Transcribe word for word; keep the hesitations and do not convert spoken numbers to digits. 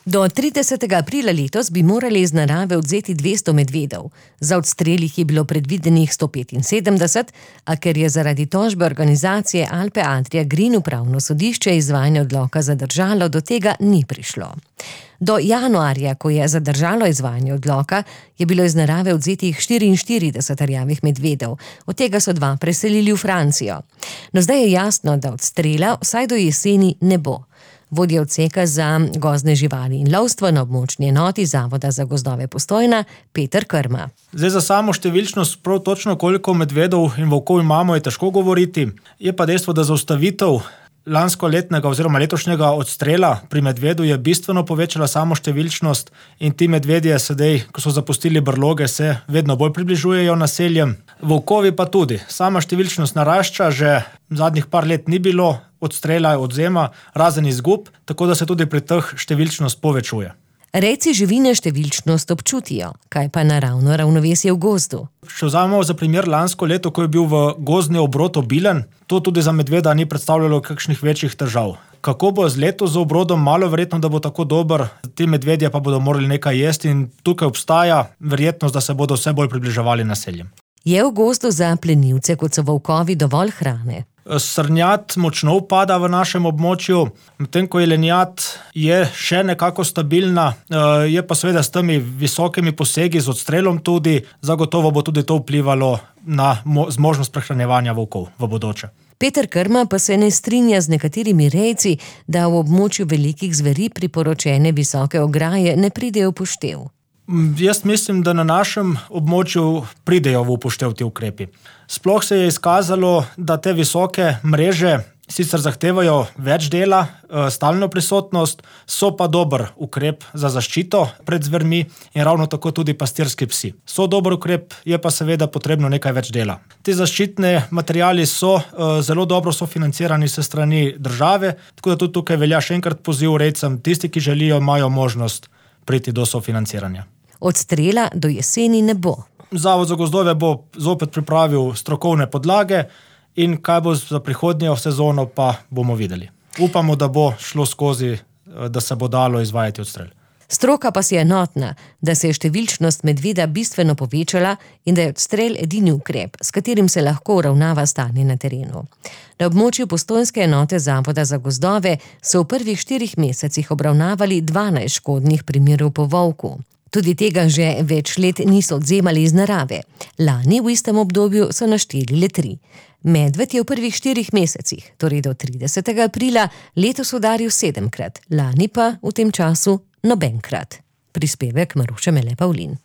Do tridesetega aprila letos bi morali iz narave odvzeti dvesto medvedov. Za odstrel jih je bilo predvidenih sto petinsedemdeset, a ker je zaradi tožbe organizacije Alpe Adria Green upravno sodišče izvajanje odloka zadržalo, do tega ni prišlo. Do januarja, ko je zadržalo izvajanje odloka, je bilo iz narave odvzetih štiriinštirideset rjavih medvedov, od tega so dva preselili v Francijo. No, zdaj je jasno, da odstrela vsaj do jeseni ne bo. Vodja odseka za gozdne živali in lovstvo na območni enoti Zavoda za gozdove Postojna, Peter Krma. Zdaj za samo številčnost, prav točno koliko medvedov in volkov imamo, je težko govoriti. Je pa dejstvo, da zaustavitev lanskoletnega oziroma letošnjega odstrela pri medvedu je bistveno povečala samo številčnost in ti medvedje sedaj, ko so zapustili brloge, se vedno bolj približujejo naseljem. Volkovi pa tudi. Sama številčnost narašča, že zadnjih par let ni bilo odstrela, odzema, razen izgub, tako da se tudi pri teh številčnost povečuje. Rejci živine številčnost občutijo, kaj pa naravno ravnovesje v gozdu. Če vzamemo za primer lansko leto, ko je bil v gozdni obrod obilen, to tudi za medveda ni predstavljalo kakšnih večjih težav. Kako bo z letos z obrodom, malo verjetno, da bo tako dober, ti medvedje pa bodo morali nekaj jesti in tukaj obstaja verjetnost, da se bodo vse bolj približevali naseljem. Je v gozdu za plenilce, kot so volkovi, dovolj hrane? Srnjad močno upada v našem območju, medtem ko jelenjad je še nekako stabilna, je pa seveda s temi visokimi posegi, z odstrelom tudi, zagotovo bo tudi to vplivalo na zmožnost prehranjevanja volkov v bodoče. Peter Krma pa se ne strinja z nekaterimi rejci, da v območju velikih zveri priporočene visoke ograje ne pridejo v poštev. Jaz mislim, da na našem območju pridejo v upoštev ti ukrepi. Sploh se je izkazalo, da te visoke mreže sicer zahtevajo več dela, stalno prisotnost, so pa dober ukrep za zaščito pred zvermi in ravno tako tudi pastirski psi. So dober ukrep, je pa seveda potrebno nekaj več dela. Ti zaščitni materiali so zelo dobro sofinancirani s strani države, tako da tudi tukaj velja še enkrat poziv rejcem, tisti, ki želijo, imajo možnost priti do sofinanciranja. Odstrela do jeseni ne bo. Zavod za gozdove bo zopet pripravil strokovne podlage in kaj bo za prihodnjo sezono, pa bomo videli. Upamo, da bo šlo skozi, da se bo dalo izvajati odstrel. Stroka pa si je enotna, da se je številčnost medveda bistveno povečala in da je odstrel edini ukrep, s katerim se lahko uravnava stanje na terenu. Na območju postojnske enote Zavoda za gozdove so v prvih štirih mesecih obravnavali dvanajst škodnih primerov po volku. Tudi tega že več let niso odvzemali iz narave. Lani v istem obdobju so našteli le tri. Medved je v prvih štirih mesecih, torej do tridesetega aprila, letos udaril sedemkrat, lani pa v tem času nobenkrat. Prispevek Maruše Mele Pavlin.